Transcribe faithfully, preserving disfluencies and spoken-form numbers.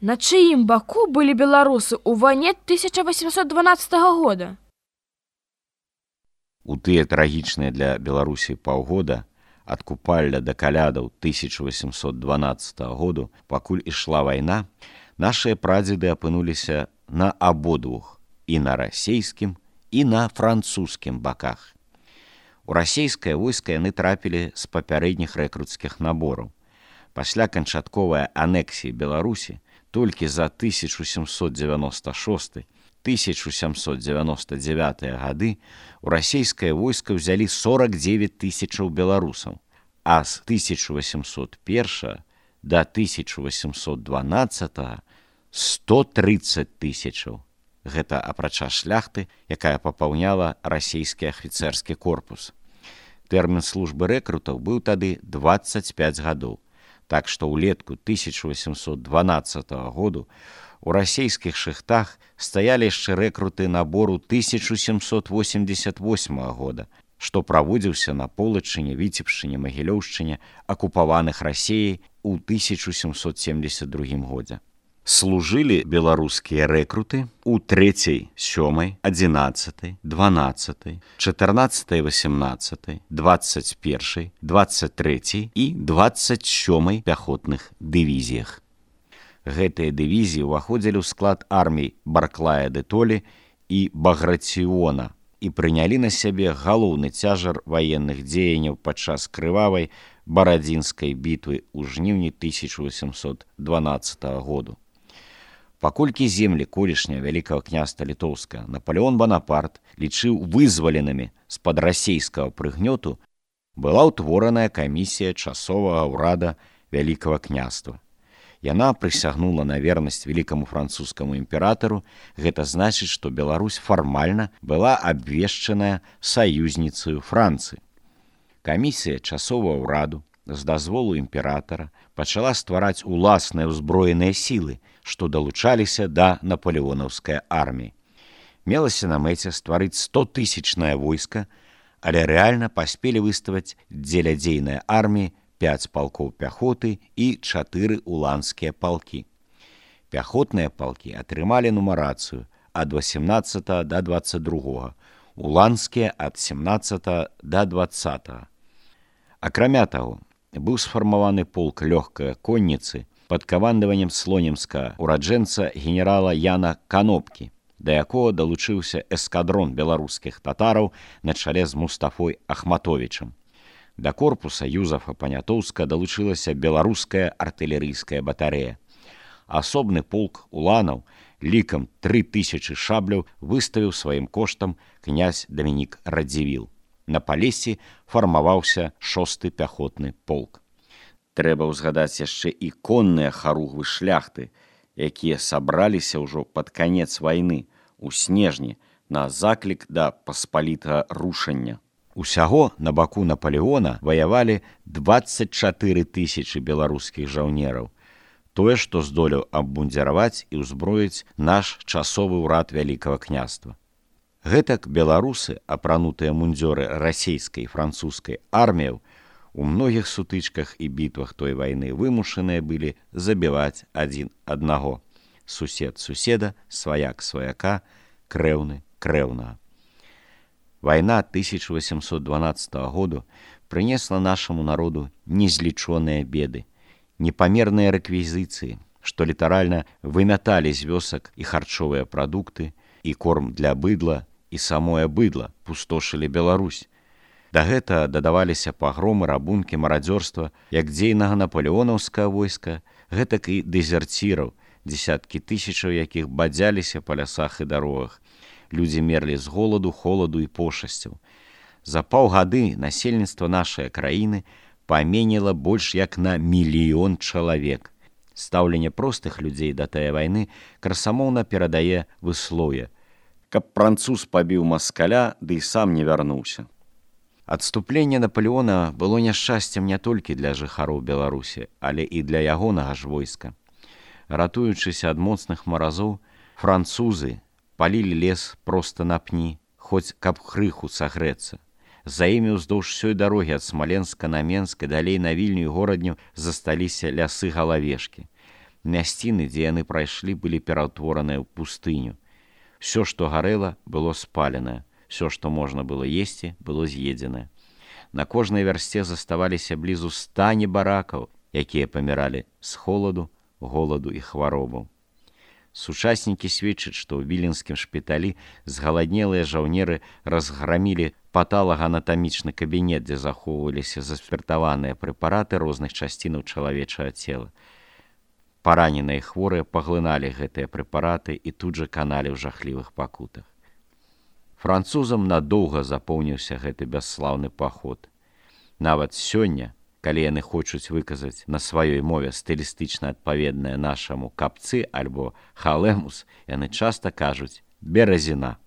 На чыім баку былі беларусы ў вайне тысяча васемсот дванаццатага года? У тыя трагічныя для Беларусі паўгода ад Купалля да калядаў тысяча васемсот дванаццатага году, пакуль ішла вайна, нашыя прадзеды апынуліся на абодвух, і на расейскім, і на французскім баках. У расейскае войска яны трапілі з папярэдніх рэкруцкіх набораў. Пасля канчатковай анексіі Беларусі толькі за тысяча сямсот дзевяноста шосты — тысяча сямсот дзевяноста дзевятыя гады у расейскае войска ўзялі сорак дзевяць тысячаў беларусаў, а з тысяча васемсот першага да тысяча васемсот дванаццатага сто трыццаць тысячаў. Гэта апрача шляхты, якая папаўняла расейскі афіцэрскі корпус. Тэрмін службы рэкрутаў быў тады дваццаць пяць гадоў. Так што ўлетку тысяча васемсот дванаццатага году у расейскіх шыхтах стаялі яшчэ рэкруты набору тысяча сямсот восемьдесят восьмага года, што праводзіўся на Полачыне, Віцебшчыне, Магілёўшчыне, акупаваных Расеяй у тысяча сямсот семьдесят другім годзе. Служылі беларускія рэкруты у трэцяй, сёмай, адзінаццатай, дванаццатай, чатырнаццатай, васемнаццатай, дваццаць першай, дваццаць трэцяй і дваццаць сёмай пяхотных дывізіях. Гэтыя дывізіі ўваходзілі ў склад армій Барклая де Толі і Баграціона і прынялі на сябе галоўны цяжар ваенных дзеянняў падчас крывавай барадзінскай бітвы ў жніўні тысяча васемсот дванаццатага году. Паколькі землі колішняга Вялікага княства Літоўскага Напалеон Банапарт лічыў вызваленымі з-пад расейскага прыгнёту, была ўтвораная камісія часовага ўрада Вялікага княства. Яна прысягнула на вернасць вялікаму французскаму імператару, гэта значыць, што Беларусь фармальна была абвешчаная саюзніцаю Францыі. Камісія часовага ўраду з дазволу імператара пачала ствараць уласныя ўзброеныя сілы, што далучаліся да напалеонаўскай арміі. Мелася на мэце стварыць стотысячнае войска, але рэальна паспелі выставаць дзеля дзейнай арміі пяць палкоў пяхоты і чатыры уланскія палкі. Пяхотныя палкі атрымалі нумарацыю ад васемнаццатага да дваццаць другога, уланскія ад семнаццатага да дваццатага. Акрамя таго, быў сфармаваны полк лёгкай конніцы пад камандаваннем слонімскага ураджэнца генерала Яна Канопкі, да якога далучыўся эскадрон беларускіх татараў на чале з Мустафой Ахматовічам. Да корпуса Юзафа Панятоўска далучылася беларуская артылерыйская батарэя. Асобны полк уланаў лікам тры тысячы шабляў выставіў сваім коштам князь Дамінік Радзівіл. На Палесі фармаваўся шосты пяхотны полк. Трэба ўзгадаць яшчэ і конныя харугвы шляхты, якія сабраліся ўжо пад канец вайны у снежні на заклік да паспалітага рушання. Усяго на баку Напалеона ваявалі дваццаць чатыры тысячы беларускіх жаўнераў, тое, што здолеў абмундзіраваць і ўзброіць наш часовы ўрад Вялікага княства. Гэтак беларусы, апранутыя мундзёры расейскай і французскай арміяў, у многіх сутычках і бітвах той вайны вымушаныя былі забіваць адзін аднаго. Сусед суседа, сваяк сваяка, крэўны крэўнага. Вайна тысяча васемсот дванаццатага году прынесла нашаму народу незлічоныя беды, непамерныя рэквізіцыі, што літаральна вымяталі з вёсак і харчовыя прадукты, і корм для быдла, і самое быдла пустошылі Беларусь. Да гэта дадаваліся пагромы, рабункі, марадзёрства як дзейнага напалеонаўскага войска, гэтак і дэзерціраў, дзесяткі тысячаў якіх бадзяліся па лясах і дарогах. Людзі мерлі з голаду, холаду і пошасцяў. За паўгады насельніцтва нашай краіны паменела больш як на мільён чалавек. Стаўленне простых людзей да тае вайны красамоўна перадае выслоўе: каб француз пабіў маскаля, ды і сам не вярнуўся. Адступленне Напалеона было няшчасцем не толькі для жыхароў Беларусі, але і для ягонага ж войска. Ратуючыся ад моцных маразоў, французы палілі лес проста на пні, хоць каб крыху сагрэцца. За імі ўздоўж усёй дарогі ад Смаленска на Менск і далей на Вільню і горадню засталіся лясы галавешкі. Мясціны, дзе яны прайшлі, былі пераўтвораныя ў пустыню. Всё, што гарэла, было спаленае. Всё, што можна было есці, было з'едзенае. На кожнай вярсце заставаліся блізу ста небаракаў, якія паміралі з холаду, голаду і хваробаў. Сучаснікі сведчаць, што ў віленскім шпіталі згаладнелыя жаўнеры разграмілі патолаганатамічны кабінет, дзе захоўваліся заспіртаваныя прэпараты розных часцінаў чалавечага цела. Параненыя хворыя паглыналі гэтыя прэпараты і тут жа каналі ў жахлівых пакутах. Французам надоўга запомніўся гэты бясслаўны паход. Нават сёння, калі яны хочуць выказаць на сваёй мове стылістычна адпаведнае нашаму капцы альбо халемус, яны часта кажуць «беразіна».